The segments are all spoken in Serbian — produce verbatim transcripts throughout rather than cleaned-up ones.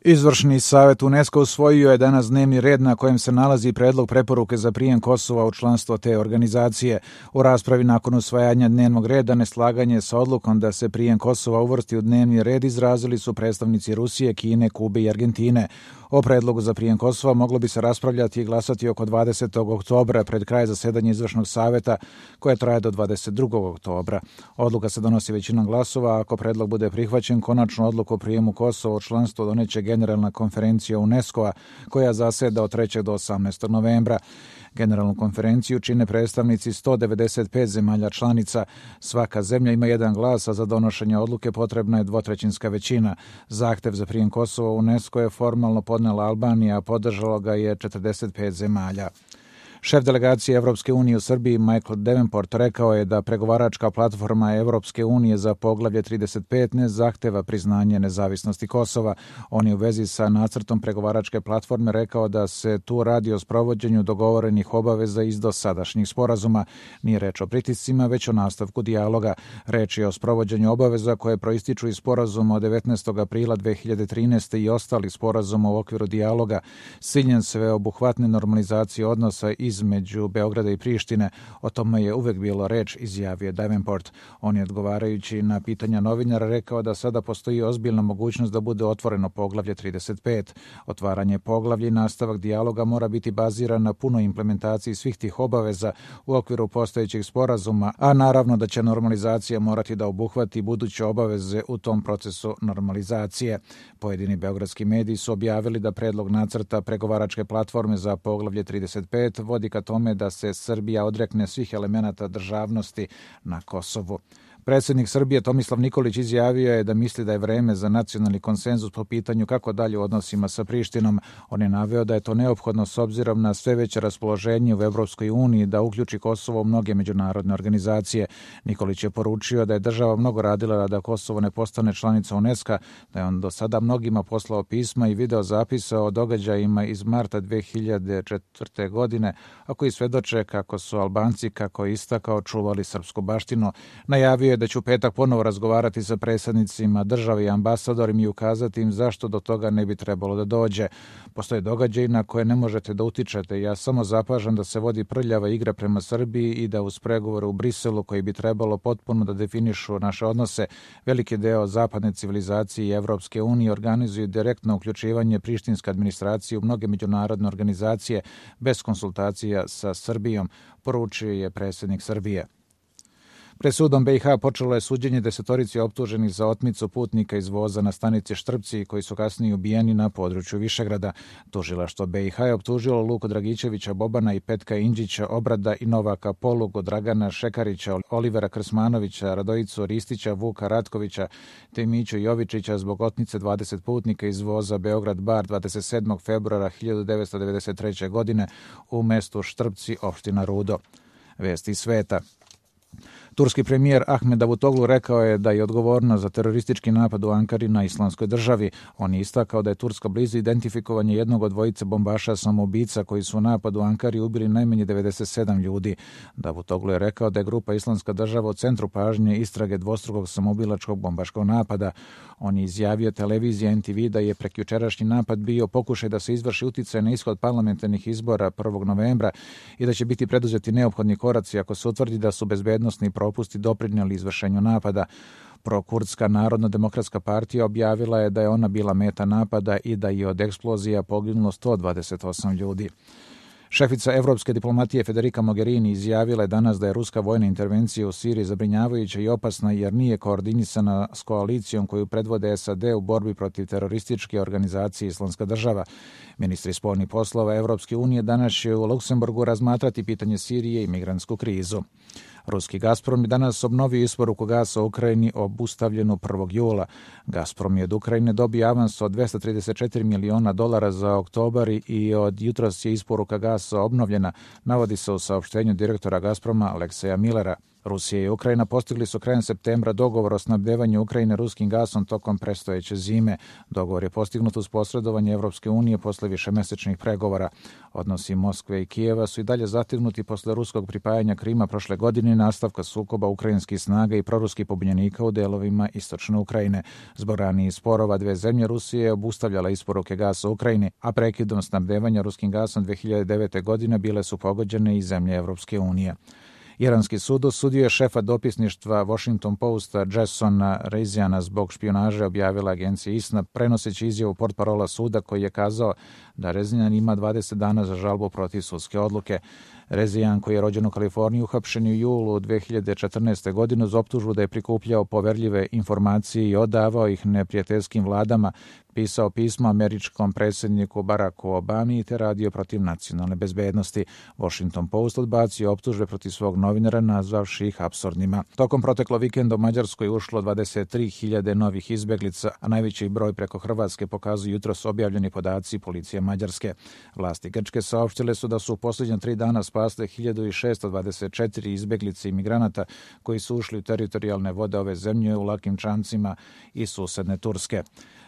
Izvršni savjet UNESCO usvojio je danas dnevni red na kojem se nalazi predlog preporuke za prijem Kosova u članstvo te organizacije. U raspravi nakon usvajanja dnevnog reda neslaganje sa odlukom da se prijem Kosova uvrsti u dnevni red izrazili su predstavnici Rusije, Kine, Kube i Argentine. O predlogu za prijem Kosova moglo bi se raspravljati i glasati oko dvadesetog oktobra pred kraj zasedanja izvršnog savjeta koje traje do dvadeset drugog oktobra. Odluka se donosi većinom glasova, a ako predlog bude prihvaćen, konačnu odluku o prijemu Kosova u članstvo doneće Generalna konferencija UNESCO-a koja zaseda od trećeg do osamnaestog novembra. Generalnu konferenciju čine predstavnici sto devedeset pet zemalja članica. Svaka zemlja ima jedan glas, a za donošenje odluke potrebna je dvotrećinska većina. Zahtev za prijem Kosova u UNESCO je formalno podnela Albanija, a podržalo ga je četrdeset pet zemalja. Šef delegacije Evropske unije u Srbiji Michael Davenport rekao je da pregovaračka platforma Evropske unije za poglavlje trideset pet ne zahteva priznanje nezavisnosti Kosova. On je u vezi sa nacrtom pregovaračke platforme rekao da se tu radi o sprovođenju dogovorenih obaveza iz dosadašnjih sporazuma. Nije reč o pritiscima, već o nastavku dijaloga. Reč je o sprovođenju obaveza koje proističu iz sporazuma od devetnaestog aprila dve hiljade trinaeste. i ostali sporazuma u okviru dijaloga s ciljem sveobuhvatne normalizacije odnosa iz između Beograda i Prištine. O tome je uvek bilo reč, izjavio Davenport. On je odgovarajući na pitanja novinara rekao da sada postoji ozbiljna mogućnost da bude otvoreno poglavlje trideset pet. Otvaranje poglavlja i nastavak dijaloga mora biti baziran na punoj implementaciji svih tih obaveza u okviru postojećih sporazuma, a naravno da će normalizacija morati da obuhvati buduće obaveze u tom procesu normalizacije. Pojedini beogradski mediji su objavili da predlog nacrta pregovaračke platforme za poglavlje trideset pet vodi ka tome da se Srbija odrekne svih elemenata državnosti na Kosovu. Predsjednik Srbije Tomislav Nikolić izjavio je da misli da je vreme za nacionalni konsenzus po pitanju kako dalje u odnosima sa Prištinom. On je naveo da je to neophodno s obzirom na sve veće raspoloženje u Evropskoj uniji da uključi Kosovo u mnoge međunarodne organizacije. Nikolić je poručio da je država mnogo radila da Kosovo ne postane članica UNESCO, da je on do sada mnogima poslao pisma i video zapisa o događajima iz marta dve hiljade četvrte. godine, a koji svedoče kako su Albanci, kako je istakao, čuvali srpsku baštinu. Najavio da će u petak ponovo razgovarati sa predsjednicima države i ambasadorima i ukazati im zašto do toga ne bi trebalo da dođe. Postoje događaji na koje ne možete da utičete. Ja samo zapažam da se vodi prljava igra prema Srbiji i da uz pregovore u Briselu koji bi trebalo potpuno da definišu naše odnose, veliki deo zapadne civilizacije i Evropske unije organizuju direktno uključivanje prištinske administracije u mnoge međunarodne organizacije bez konsultacija sa Srbijom, poručio je predsjednik Srbije. Pred sudom be i ha počelo je suđenje desetorici optuženih za otmicu putnika iz voza na stanici Štrpci koji su kasnije ubijeni na području Višegrada. Tužilaštvo be i ha je optužilo Luku Dragićevića Bobana i Petka Indžića Obrada i Novaka Polugu, Dragana Šekarića, Olivera Krsmanovića, Radojicu Ristića, Vuka Ratkovića te Miću Jovičića zbog otmice dvadeset putnika iz voza Beograd-Bar dvadeset sedmog februara hiljadu devetsto devedeset treće. godine u mestu Štrpci, opština Rudo. Vesti sveta. Turski premijer Ahmed Davutoglu rekao je da je odgovorna za teroristički napad u Ankari na Islamskoj državi. On je istakao da je Turska blizu identifikovanje jednog od dvojice bombaša samoubica koji su u napadu u Ankari ubili najmanje devedeset sedam ljudi. Davutoglu je rekao da je grupa Islamska država u centru pažnje istrage dvostrukog samoubilačkog bombaškog napada. On je izjavio televiziji en te ve da je prekjučerašnji napad bio pokušaj da se izvrši uticaj na ishod parlamentarnih izbora prvog novembra i da će biti preduzeti neophodni koraci ako se utvrdi da su bezbednosni propusti doprinijeli izvršenju napada. Prokurdska Narodno-demokratska partija objavila je da je ona bila meta napada i da je od eksplozija poginulo sto dvadeset osam ljudi. Šefica evropske diplomatije Federica Mogherini izjavila je danas da je ruska vojna intervencija u Siriji zabrinjavajuća i opasna jer nije koordinisana s koalicijom koju predvode es a de u borbi protiv terorističke organizacije Islamska država. Ministri spoljnih poslova Evropske unije danas će u Luksemburgu razmatrati pitanje Sirije i migrantsku krizu. Ruski Gazprom je danas obnovio isporuku gasa u Ukrajini obustavljenu prvog jula. Gazprom je od Ukrajine dobio avans od dvesta trideset četiri miliona dolara za oktobar i od jutros je isporuka gasa obnovljena, navodi se u saopštenju direktora Gazproma Alekseja Millera. Rusija i Ukrajina postigli su krajem septembra dogovor o snabdevanju Ukrajine ruskim gasom tokom predstojeće zime. Dogovor je postignut uz posredovanje Evropske unije posle višemesečnih pregovora. Odnosi Moskve i Kijeva su i dalje zategnuti posle ruskog pripajanja Krima prošle godine i nastavka sukoba ukrajinskih snaga i proruskih pobunjenika u delovima istočne Ukrajine. Zbog ranijih sporova dve zemlje Rusije je obustavljala isporuke gasa Ukrajini, a prekidom snabdevanja ruskim gasom dve hiljade devete. godine bile su pogođene i zemlje Evropske unije. Iranski sud osudio je šefa dopisništva Washington Posta Jasona Reziana zbog špijunaže, objavila agencija ISNA, prenoseći izjavu portparola suda koji je kazao da Rezian ima dvadeset dana za žalbu protiv sudske odluke. Rezian, koji je rođen u Kaliforniji, uhapšen u julu dve hiljade četrnaeste. godine uz optužbu da je prikupljao poverljive informacije i odavao ih neprijateljskim vladama, pisao pismo američkom predsjedniku Baracku Obami te radio protiv nacionalne bezbednosti. Washington Post odbacio optužbe protiv svog novinara, nazvavši ih apsurdnima. Tokom proteklo vikenda u Mađarskoj ušlo dvadeset tri hiljade novih izbeglica, a najveći broj preko Hrvatske pokazuju jutros objavljeni podaci policije Mađarske. Vlasti Grčke saopštile su da su u posljednja tri dana spasle hiljadu šeststo dvadeset četiri izbeglice i migranata koji su ušli u teritorijalne vode ove zemlje u lakim čamcima i susedne Turske.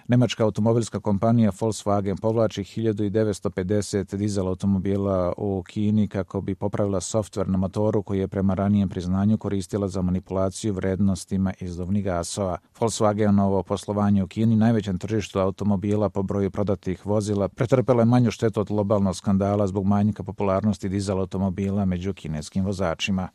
Nemačka automobilska kompanija Volkswagen povlači hiljadu devetsto pedeset dizel automobila u Kini kako bi popravila softver na motoru koji je prema ranijem priznanju koristila za manipulaciju vrednostima izduvnih gasova. Volkswagenovo poslovanje u Kini, najvećem tržištu automobila po broju prodatih vozila, pretrpelo je manju štetu od globalnog skandala zbog manjka popularnosti dizel automobila među kineskim vozačima.